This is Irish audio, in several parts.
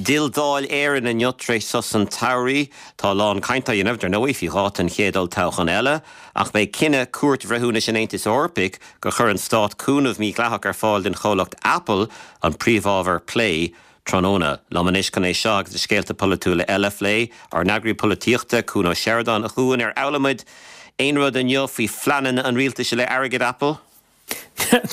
D'fhill Dáil Éireann inniu tar éis sos an tsamhraidh. Tá a lán cainte á dhéanamh, dar ndóigh, faoi dháta an chéad olltoghcháin eile, ach beidh cinneadh Cúirt Bhreithiúnais an Aontais Eorpaigh gur chuir an stát cúnamh mídhleathach ar fáil don chomhlacht Apple an príomhábhar plé tráthnóna. Liom anois chun é seo agus na scéalta polaitiúla eile a phlé, ár n-eagraí polaitíochta, Cuan Ó Seireadáin. A Chuain, ar fhoghlaim muid aon rud inniu faoi phleananna an rialtais i leith airgead Apple?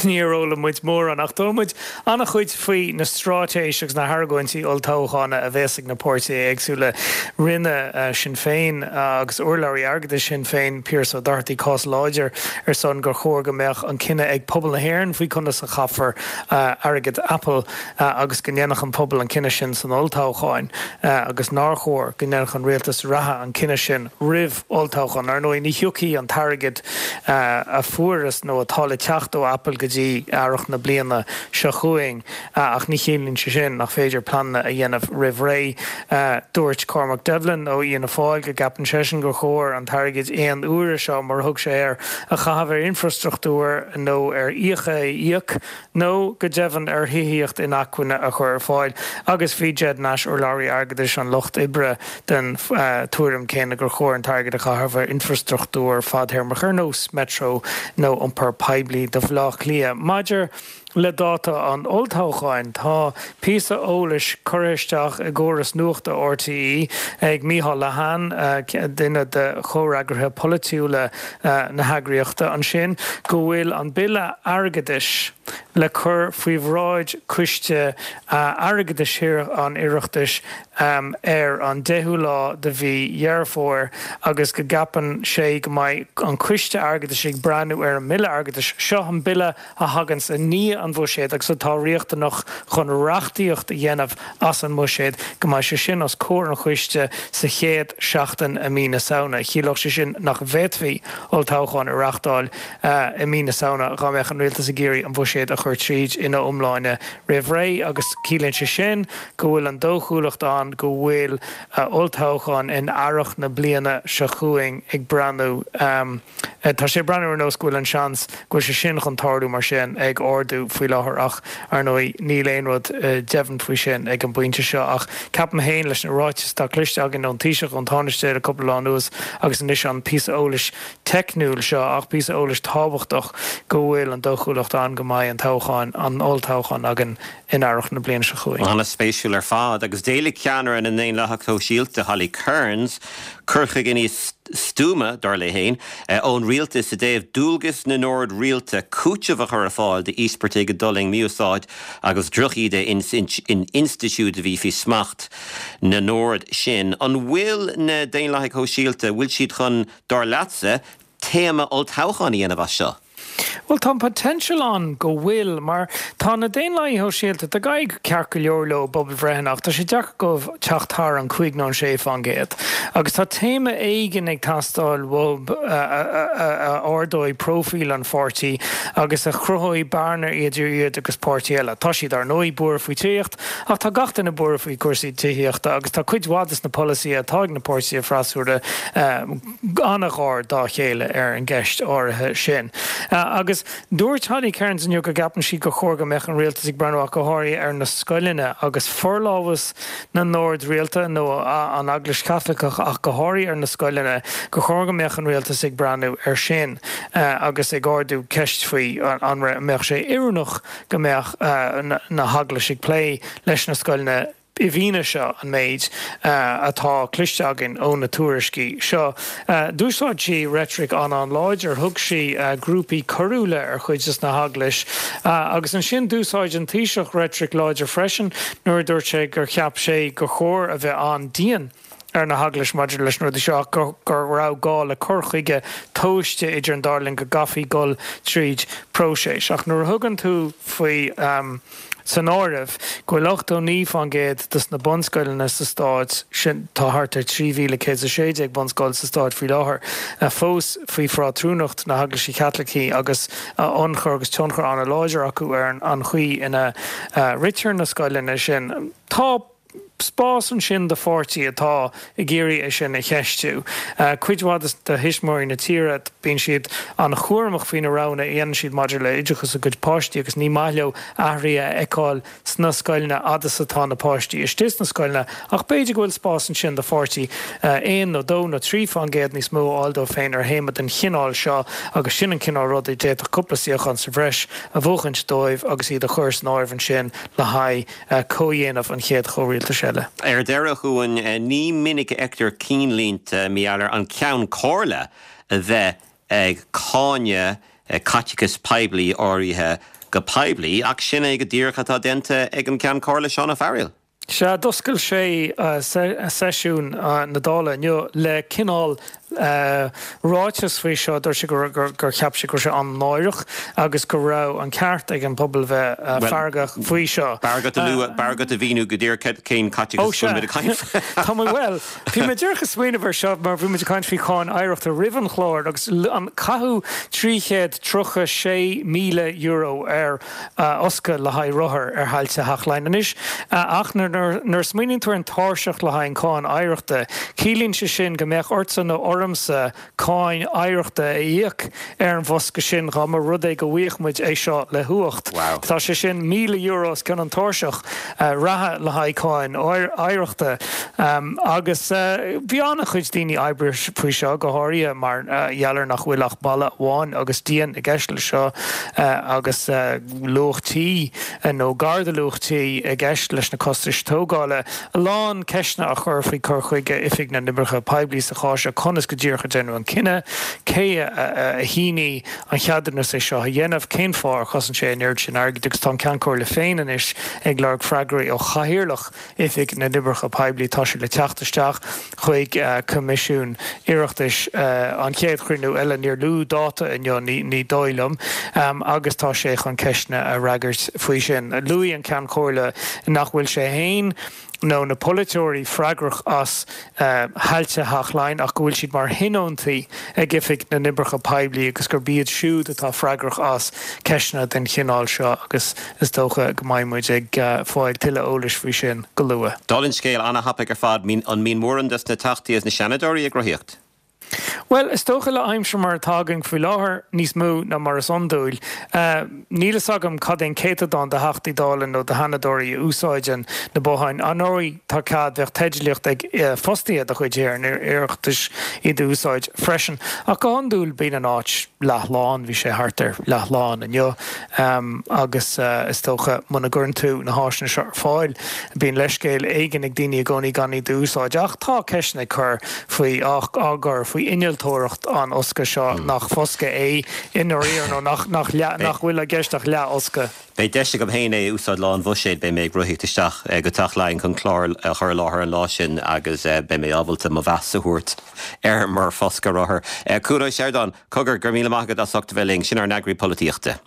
Níor fhoghlaim muid mórán, ach d'fhoghlaim muid an-chuid faoi na straitéis agus na hargóintí olltoghchána a bhéas ag na páirtithe éagsúla. Rinne Sinn Féin agus urlabhraí airgeadais Shinn Féin, Pearse Ó Dochartaigh, cás láidir ar son gur chóir go mbeadh an cinneadh ag pobal na hÉireann faoi conas a chaithfear airgead Apple agus go ndéanfadh an pobal an cinneadh sin san olltoghchán agus nár chóir go ndéanfadh an rialtas reatha an cinneadh sin roimh olltoghchán. Ar ndóigh, ní thiocfaidh an t-airgead a fuarthas nó atá le teacht ó Apple go dtí earrach na bliana seo chugainn ach ní chiallaíonn sé sin nach féidir pleananna a dhéanamh roimh ré. Dúirt Cormac Devlin ó Fhianna Fáil go gceapann seisean gur chóir an t-airgead aon uaire seo, mar a thug sé air, a chaitheamh ar infrastruchtúr nó ar fhiacha a íoc nó go deimhin ar thithíocht inacmhainne a chur ar fáil, agus bhí Ged Nash, urlabhraí airgeadais an Lucht Oibre, den tuairim céanna gur chóir an t-airgead a chaitheamh ar infrastruchtúr fadthéarmach ar nós Metro nó iompar poiblí do Bhaile Átha Cliath. Maidir le dáta an olltoghcháin, tá píosa eolais curtha isteach i gcóras nuachta RTÉ ag Micheál Lehane, duine de chomhfhreagraithe polaitiúla na heagraíochta ansin go bhfuil an Bille Airgeadais le cur faoi bhráid Coiste Airgeadais an Oireachtais ar an 10ú lá de mhí Dheireadh Fómhair agus go gceapann sé go mbeidh an Coiste Airgeadais ag breathnú ar an mBille Airgeadais seo, an Bille a thaganns i ndiaidh an Bhuiséid agus atá riachtanach chun reachtaíocht a dhéanamh as an mBuiséad, go mbeidh sé sin os comhair an choiste sa chéad seachtain i mí na Samhna. Chiallódh sé sin nach bhféadfaí olltoghchán a reáchtáil i mí na Samhna dhá mbeadh an rialtas ag iarraidh an Buiséad a chur tríd ina iomláine roimh ré agus ciallaíonn sé sin go bhfuil an dóchúlacht ann go bhfuil olltoghchán in earrach na bliana seo chugainn ag breathnú Tá sé ag breathnú ar nós go bhfuil an seans go bhfuil sé sin chun tarlú mar sin ag ardú faoi láthair ach, ar ndóigh, níl aon rud deimhin faoi sin ag an bpointe seo. Ach ceapaim féin, leis na ráitis atá cloiste againn ón Taoiseach, ón Tánaiste le cúpla lá anuas agus anois an píosa eolais teicniúil seo, ach píosa eolais tábhachtach, go bhfuil an dóchúlacht ann go mbeidh an toghchán, an olltoghchán againn in earrach na bliana seo chugainn. An-spéisiúil ar fad. Agus d'éiligh ceannaire na nDaonlathach Sóisialta, Holly Cairns, cur chuige níos stuama, dar léi féin, ón rialtas i dtaobh dualgas na n-ord rialta cúiteamh a chur ar fáil d'íospartaigh a d'fhulaing mí-úsáid agus drochíde in institiúid a bhí faoi smacht na n-ord sin. An bhfuil na Daonlathaigh Shóisialta, bhfuil siad chun, dar leatsa, téama olltoghcháin a dhéanamh as seo? Bhuel, tá an potential ann go bhfuil, mar tá na Daonlathaigh Shóisialta, tá ag éirí ceart go leor leo i bpobalbhreitheanna ach tá sé deacair dóibh teacht thar an 5 nó an 6 fán gcéad. Agus tá téama éigin ag teastáil uathu a ardóidh próifíl an pháirtí agus a chruthóidh bearna idir iad agus páirtí eile. Tá siad, ar ndóigh, buartha faoi tithíocht, ach tá gach duine buartha faoi chúrsaí tithíochta agus tá cuid mhaith des na polasaithe atá ag na páirtithe freasúra, an-ghar dá chéile ar an gceist áirithe sin. Agus dúirt Holly Cairns inniu go gceapann sí gur chóir go mbeadh an rialtas ag breathnú ach go háirithe ar na scoileanna agus forlámhas na n-ord rialta nó an Eaglais Chaitliceach ach go háirithe ar na scoileanna, gur chóir go mbeadh an rialtas ag breathnú air sin agus ag ardú ceist faoi an mbeadh sé oiriúnach go mbeadh na heaglais ag plé leis na scoileanna. I bhfianaise an méid atá cloiste againn ó na tuairiscí seo, d'úsáid sí reitric an-an-láidir, thug sí grúpaí coiriúla ar chuid des na heaglais agus ansin d'úsáid an Taoiseach reitric láidir freisin nuair a dúirt sé gur cheap sé gur chóir a bheith an-dian ar na heaglais maidir leis na rudaí seo ach go raibh gá le cur chuige tomhaiste idir an dá linn, go gcaithfí dul tríd próiseas. Ach nuair a thugann tú faoi san áireamh go bhfuil 89% des na bunscoileanna sa stát, sin, tá thart ar 3,116 bunscoil sa stát faoi láthair, fós faoi phátrúnacht na hEaglaise Caitlicí agus ionchur agus tionchar an-láidir acu ar an chaoi ina ritear na scoileanna sin. Tá. spás ansin do pháirtí atá ag iarraidh é sin a cheistiú. Cuid mhaith de thuismitheoirí na tíre, bíonn siad an-chúramach faoi na roghanna a dhéanann siad maidir le oideachas a gcuid páistí agus ní maith leo athruithe a fheiceáil sna scoileanna fhad is atá na páistí istigh sna scoileanna ach b'fhéidir go bhfuil spás ansin do pháirtí 1 nó 2 nó 3 fán gcéad níos mó a fháil dóibh féin ar théama den chineál seo agus sin an cineál ruda a d'fhéadfadh cúpla suíochán sa bhreis a bhuachaint dóibh agus iad a chur san áireamh ansin le haghaidh comhdhéanamh an chéad chomhrialtais eile. Ar deireadh, a Chuain, ní minic a fheictear cinnlínte mí Eanáir an Ceann Comhairle a bheith ag cáineadh caiteachas poiblí áirithe go poiblí, ach sin é go díreach atá déanta ag an gCeann Comhairle Seán Ó Fearghaíl. Sea, d'oscail sé seisiún na Dála inniu le cineál ráiteas faoi seo. Dúirt sé gur cheap sé go raibh sé an-náireach agus go raibh an ceart ag an bpobal bheith feargach faoi seo. B'fhearr agat a lua, b'fhearr agat a mhíniú go díreach cén caiteachas a bhfuil muid ag caint faoi. Tá mé, bhuel, bhí mé díreach ag smaoineamh ar seo mar bhí muid ag caint faoi cháin oidhreachta roimh an chlár agus an caitheadh €336,000 ar fhoscadh le haghaidh rothar ar thailte Theach Laighean. Anois, ach nuair a smaoiníonn tú ar an tairseach le haghaidh an cáin oidhreachta, ciallaíonn sé sin go mbeadh ortsa nó ormsa cáin oidhreachta a íoc ar an bhfoscadh sin dá mba rud é go bhfaigheadh muid é seo le huacht. Tá sé sin €1,000 os cionn an tairseach reatha le haghaidh cáin oidhreachta. Agus bhí an-chuid daoine oibrigh faoi seo, go háirithe mar gheall ar nach bhfuil ach balla amháin agus díon i gceist leis seo agus luach tí nó gar do luach tí i gceist leis na costais tógála. A lán ceisteanna á chur faoi cur chuige Oifig na nOibreacha Poiblí sa chás seo, conas go díreach a deineadh an cinneadh, cé a shínigh an cheadúnas é seo a dhéanamh, cén fáth ar chosain sé an oiread sin airgid agus tá an Ceann Comhairle féin anois ag lorg freagraí ó chathaoirleach Oifig na nOibreacha Poiblí. Tá sé le teacht isteach chuig Coimisiún Oireachtais an chéad chruinniú eile, níor luadh dáta inniu, ní dóigh liom, agus tá sé chun ceisteanna a fhreagairt faoi sin. Luaigh an Ceann Comhairle nach bhfuil sé féin nó na polaiteoirí freagrach as thailte Theach Laighean ach go bhfuil siad mar thionóntaí ag Oifig na nOibreacha Poiblí agus gurb iad siúd atá freagrach as ceisteanna den chineál seo agus is dócha go mbeidh muid ag fáil tuilleadh eolais faoi sin go luath. Dála an scéil, ana-thapaidh ar fad. An mbíonn mórán des na Teachtaí is na Seanadóirí ag rothaíocht? Bhuel, is dócha le aimsir mar atá againn faoi láthair, níos mó ná mar is iondúil. Níl fhios agam cad é an céatadán de Theachtaí Dála nó de Sheanadóirí a úsáideann na botháin. Ar ndóigh, tá cead, bheadh teidlíocht ag fostaithe de chuid Thithe an Oireachtais iad a úsáid freisin. Ach go hiondúil bíonn an áit leathlán, bhí sé thart ar leathlán inniu. Agus is dócha muna gcuireann tú na háiseanna seo ar fáil, bíonn leithscéal éigin ag daoine i gcónaí gan iad a úsáid. Ach tá ceisteanna ag cur faoi, á gcur faoi innealtóireacht an fhoscaidh seo, nach foscadh é i ndáiríre nó nach, nach leath, nach bhfuil i gceist ach leathfhoscadh. Beidh deis agam féin é a úsáid lá an Bhuiséid, beidh mé ag rothaíocht isteach go Teach Laighean chun clár a chur i láthair an lá sin agus beidh mé ábalta mo mheas a thabhairt air mar fhoscadh rothar. Cuan Ó Seireadáin, cogar, go raibh míle maith agat as ucht a bheith linn. Sin ár n-eagraí polaitíochta.